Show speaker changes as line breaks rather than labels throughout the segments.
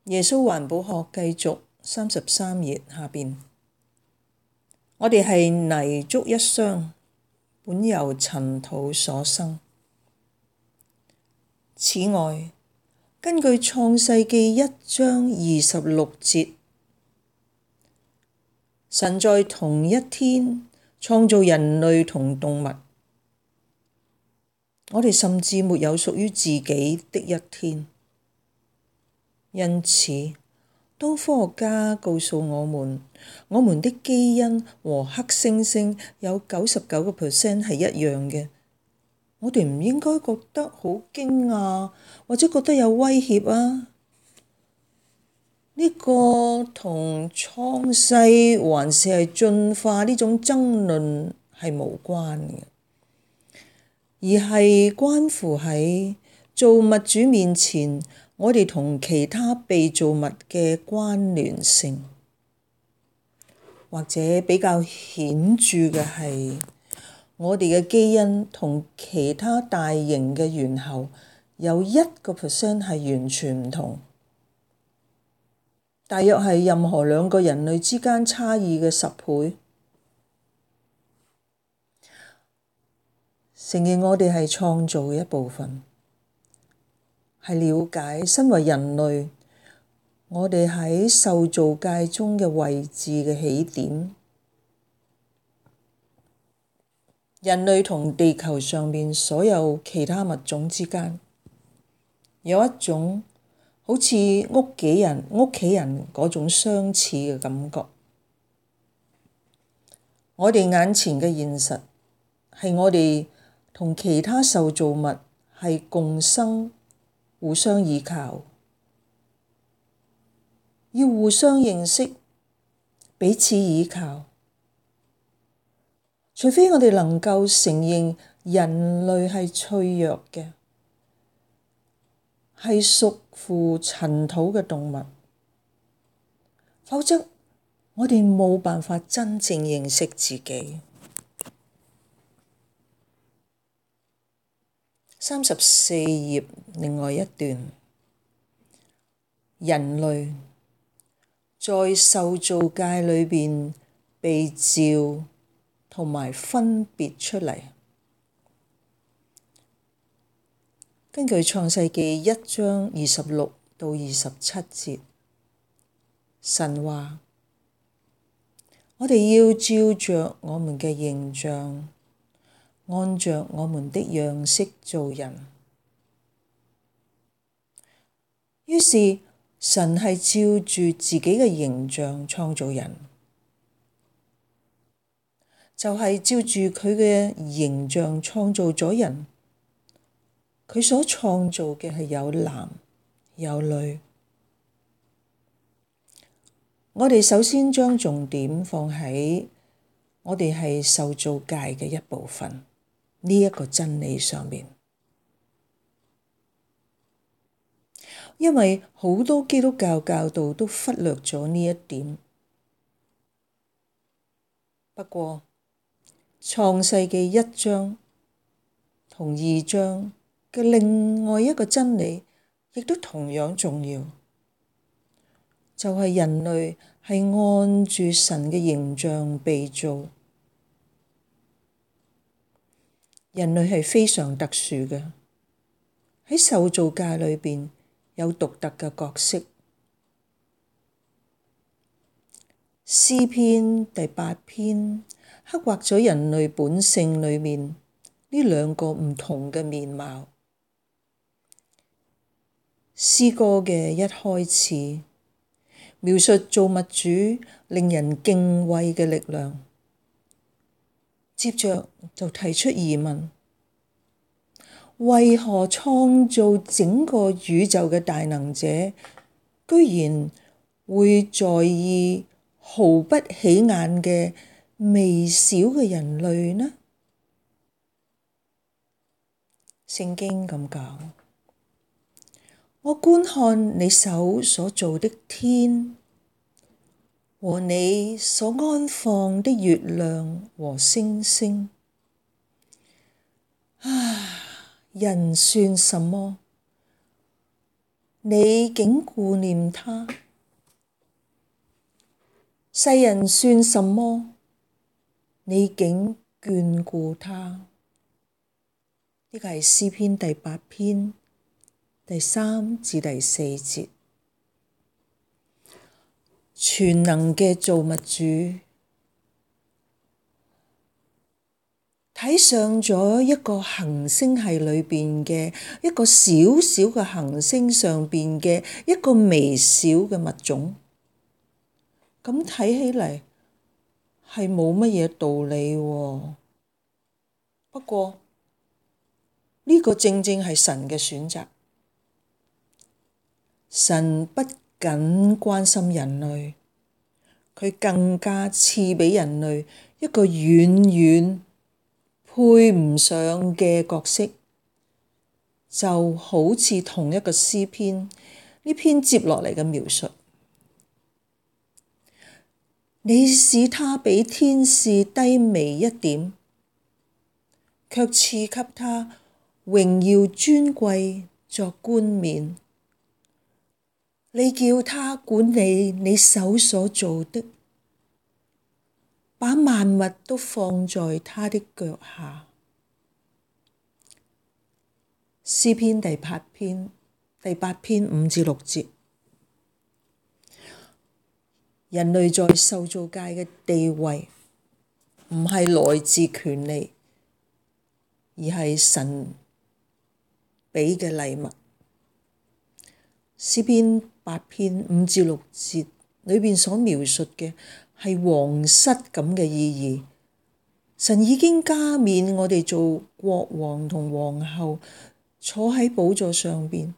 耶穌環保學繼續33頁下邊，我哋係泥足一雙，本由塵土所生。此外，根據創世記1章26節，神在同一天創造人類同動物，我哋甚至沒有屬於自己的一天。因此，當科學家告訴我們，我們的基因和黑猩猩有99% 係一樣嘅，我哋唔應該覺得好驚訝，或者覺得有威脅啊。呢個同創世還是係進化呢種爭論係無關嘅，而係關乎喺造物主面前，我哋同其他被造物嘅關聯性，或者比較顯著嘅係，我哋嘅基因同其他大型嘅猿猴有1% 係完全唔同，大約係任何2個人類之間差異嘅10倍。承認我哋係創造嘅一部分，係了解身為人類，我哋喺受造界中嘅位置嘅起點。人類同地球上面所有其他物種之間，有一種好似屋企人嗰種相似嘅感覺。我哋眼前嘅現實係我哋同其他受造物係共生、互相依靠，要互相認識、彼此依靠。除非我哋能夠承認人類係脆弱嘅，係屬乎塵土嘅動物，否則我哋冇辦法真正認識自己。34頁另外一段，人類在受造界裏邊被召同埋分別出嚟。根據創世記1章26到27節，神話：我哋要照着我們嘅形象，按着我們的樣式造人。於是神係照住自己嘅形象創造人，就係照住佢嘅形象創造咗人。佢所創造嘅係有男有女。我哋首先將重點放喺我哋係受造界嘅一部分呢一個真理上面，因為好多基督教教導都忽略咗呢一點。不過創世記1章同2章嘅另外一個真理，亦都同樣重要，就係人類係按住神嘅形象被造。人類係非常特殊嘅，喺受造界裏邊有獨特嘅角色。詩篇第8篇刻畫咗人類本性裏面呢2個唔同嘅面貌。詩歌嘅一開始描述造物主令人敬畏嘅力量，接着就提出疑問：為何創造整個宇宙嘅大能者，居然會在意毫不起眼嘅微小嘅人類呢？聖經咁講：我觀看你手所造的天和你所安放的月亮和星星。人算什麼？你竟顧念他，世人算什麼？你竟眷顧他。呢個係詩篇第8篇第3至第4節。全能嘅造物主，睇上咗一個行星系裏邊嘅一個小小嘅行星上邊嘅一個微小嘅物種，咁睇起嚟係冇乜嘢道理喎。不過呢個正正係神嘅選擇。神不僅關心人類，佢更加賜畀人類一個遠遠配唔上嘅角色，就好似同一個詩篇呢篇接落嚟嘅描述。你使他比天使低微一點，卻賜給他榮耀尊貴作冠冕。你叫他管理你手所造的，把萬物都放在他的腳下。詩篇第8篇5至6節。人類在受造界嘅地位唔係來自權利，而係神畀嘅禮物。詩篇8篇5至6節裏邊所描述嘅係皇室咁嘅意義。神已經加冕我哋做國王同皇后，坐喺寶座上邊，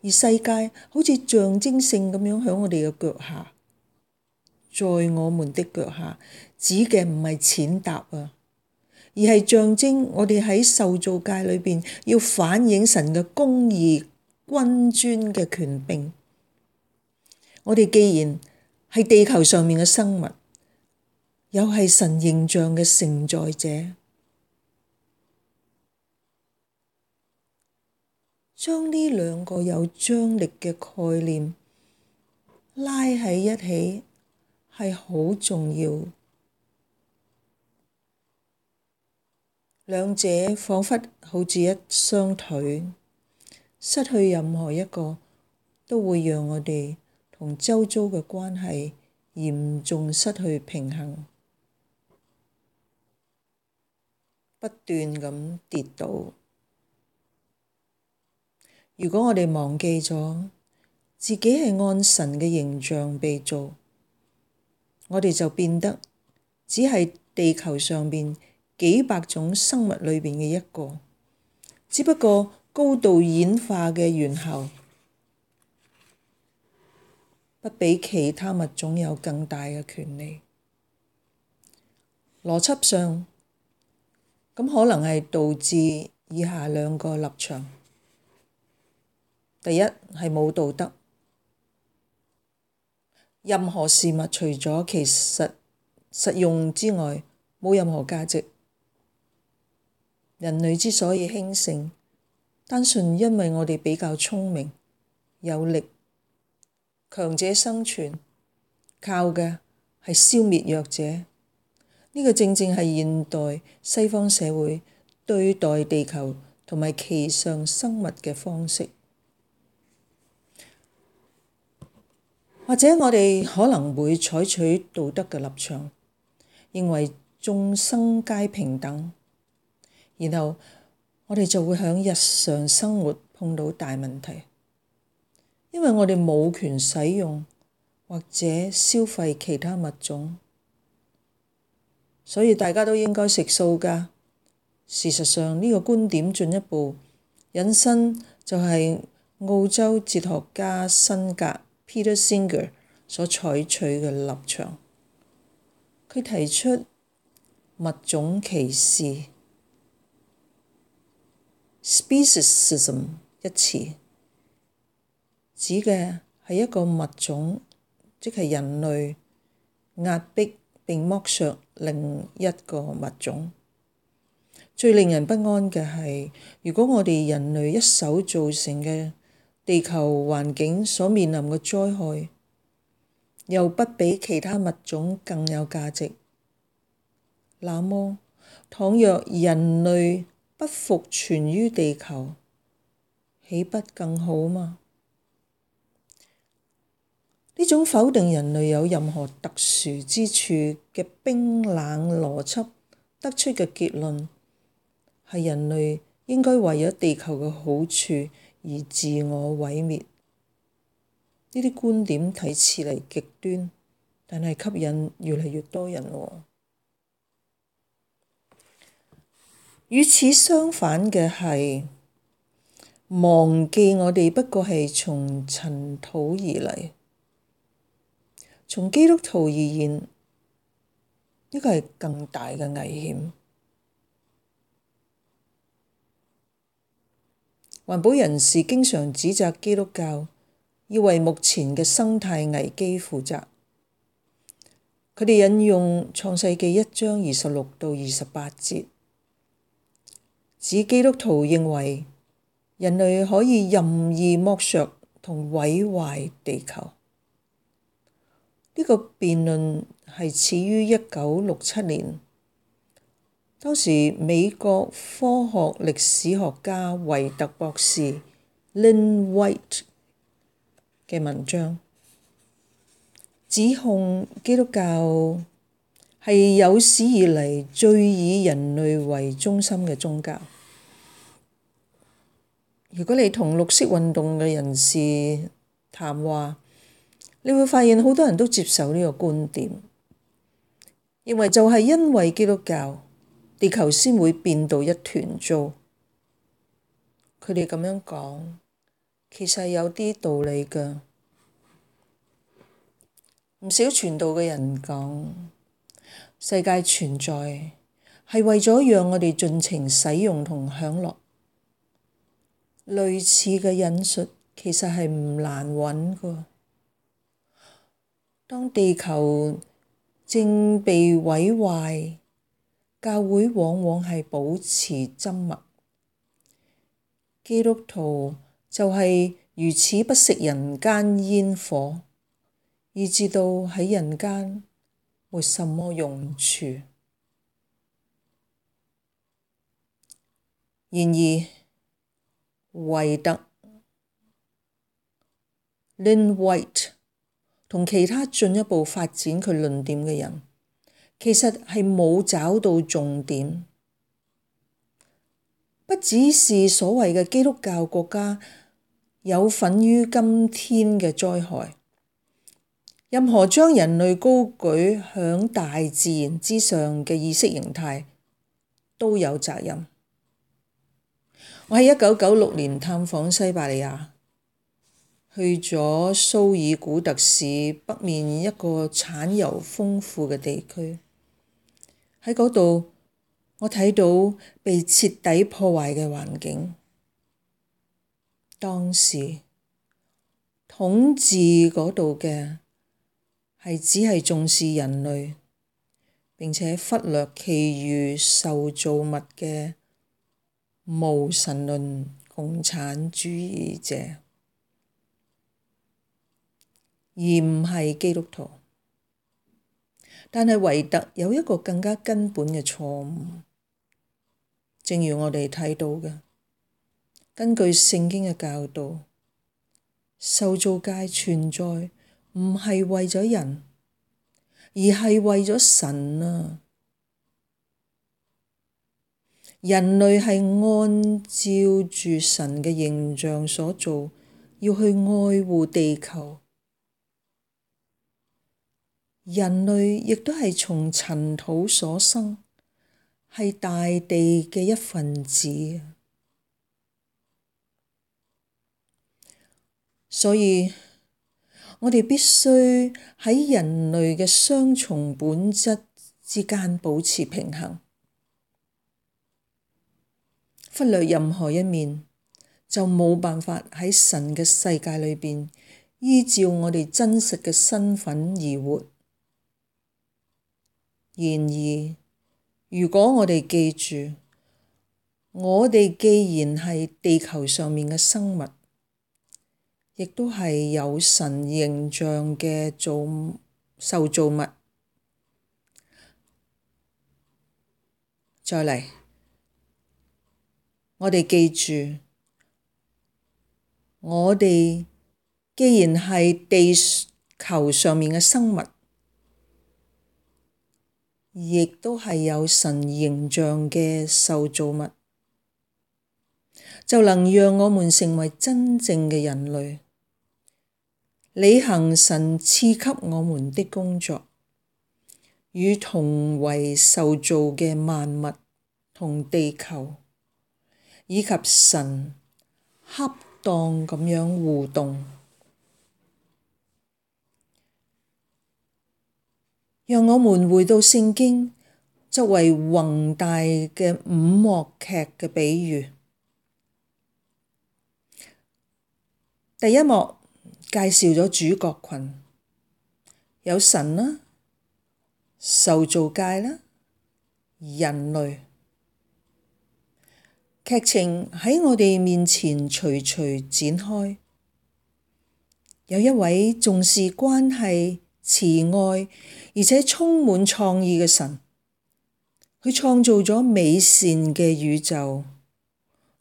而世界好似象徵性咁樣喺我哋嘅腳下。在我們的腳下，指嘅唔係踐踏啊，而係象徵我哋喺受造界裏邊要反映神嘅公義、君尊嘅權柄。我哋既然係地球上面嘅生物，又係神形象嘅承載者，將呢兩個有張力嘅概念拉喺一起係好重要。兩者彷彿好似一雙腿，失去任何一個都會讓我哋同周遭嘅關係嚴重失去平衡，不斷咁跌倒。如果我哋忘記咗自己係按神嘅形象被造，我哋就變得只係地球上邊幾百種生物裏邊嘅一個，只不過高度演化嘅猿猴不比其他物種有更大嘅權利。邏輯上，咁可能係導致以下兩個立場。第一係冇道德，任何事物除咗其實用之外，冇任何價值。人類之所以興盛，單純因為我哋比較聰明、有力，強者生存，靠嘅係消滅弱者。呢個正正係現代西方社會對待地球同埋其上生物嘅方式。或者我哋可能會採取道德嘅立場，認為眾生皆平等，然後我哋就會喺日常生活碰到大問題，因為我哋冇權使用或者消費其他物種，所以大家都應該食素㗎。事實上，呢個觀點進一步引申就係澳洲哲學家辛格 Peter Singer 所採取嘅立場。佢提出物種歧視 speciesism 一詞，指嘅係一個物種，即係人類壓迫並剝削另一個物種。最令人不安嘅係，如果我哋人類一手造成嘅地球環境所面臨嘅災害，又不比其他物種更有價值，那麼倘若人類不復存於地球，豈不更好嗎？呢種否定人類有任何特殊之處嘅冰冷邏輯得出嘅結論，係人類應該為咗地球嘅好處而自我毀滅。呢啲觀點睇似嚟極端，但係吸引越嚟越多人喎。與此相反嘅係，忘記我哋不過係從塵土而嚟。從基督徒而言，呢個係更大嘅危險。環保人士經常指責基督教要為目前嘅生態危機負責。佢哋引用創世記1章26到28節，指基督徒認為人類可以任意剝削同毀壞地球。呢個辯論係始於1967年，當時美國科學歷史學家維特博士 Lynn White 嘅文章，指控基督教係有史以嚟最以人類為中心嘅宗教。如果你同綠色運動嘅人士談話，你會發現好多人都接受呢個觀點，認為就係因為基督教，地球先會變到一團糟。佢哋咁樣講，其實有啲道理㗎。唔少傳道嘅人講，世界存在係為咗讓我哋盡情使用同享樂。類似嘅引述其實係唔難揾㗎。當地球正被毀壞，教會往往係保持緘默。基督徒就係如此不食人間煙火，以致到喺人間沒什麼用處。然而，維特 Lynn White 同其他進一步發展佢論點嘅人，其實係冇找到重點。不只是所謂嘅基督教國家有份於今天嘅災害，任何將人類高舉響大自然之上嘅意識形態都有責任。我喺1996年探訪西伯利亞，去咗蘇爾古特市北面一個產油豐富嘅地區。喺嗰度，我睇到被徹底破壞嘅環境。當時統治嗰度嘅只係重視人類，並且忽略其餘受造物嘅無神論共產主義者，而唔係基督徒。但係維特有一個更加根本嘅錯誤，正如我哋睇到嘅，根據聖經嘅教導，受造界存在唔係為咗人，而係為咗神啊！人類係按照住神嘅形象所造，要去愛護地球。人類亦都係從塵土所生，係大地嘅一份子。所以我哋必須喺人類嘅雙重本質之間保持平衡。忽略任何一面，就冇辦法喺神嘅世界裏邊依照我哋真實嘅身份而活。然而，如果我哋記住，我哋既然係地球上面嘅生物，亦都係有神形象嘅受造物。再嚟，我哋記住，我哋既然係地球上面嘅生物，亦都係有神形象嘅受造物，就能讓我們成為真正嘅人類，履行神賜給我們的工作，與同為受造嘅萬物同地球，以及神恰當咁樣互動。讓我們回到聖經作為宏大嘅五幕劇嘅比喻。第一幕介紹咗主角群，有神啦、受造界啦、人類。劇情喺我哋面前徐徐展開，有一位重視關係、慈愛而且充滿創意嘅神，佢創造咗美善嘅宇宙，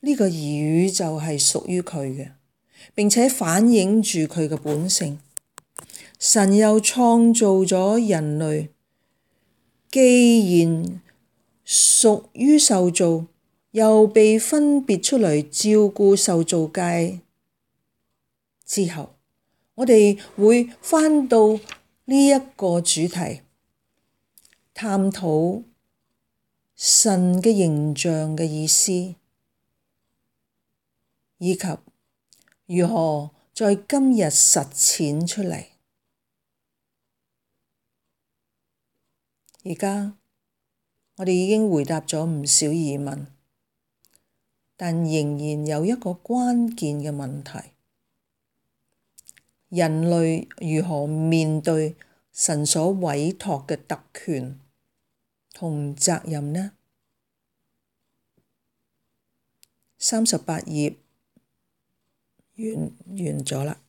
呢個宇宙係屬於佢嘅，並且反映住佢嘅本性。神又創造咗人類，既然屬於受造，又被分別出嚟照顧受造界之後，我哋會返到呢一個主題，探討神嘅形象嘅意思，以及如何在今日實踐出嚟。而家我哋已經回答咗唔少疑問，但仍然有一個關鍵嘅問題：人類如何面對神所委託嘅特權同責任呢？38頁完咗啦。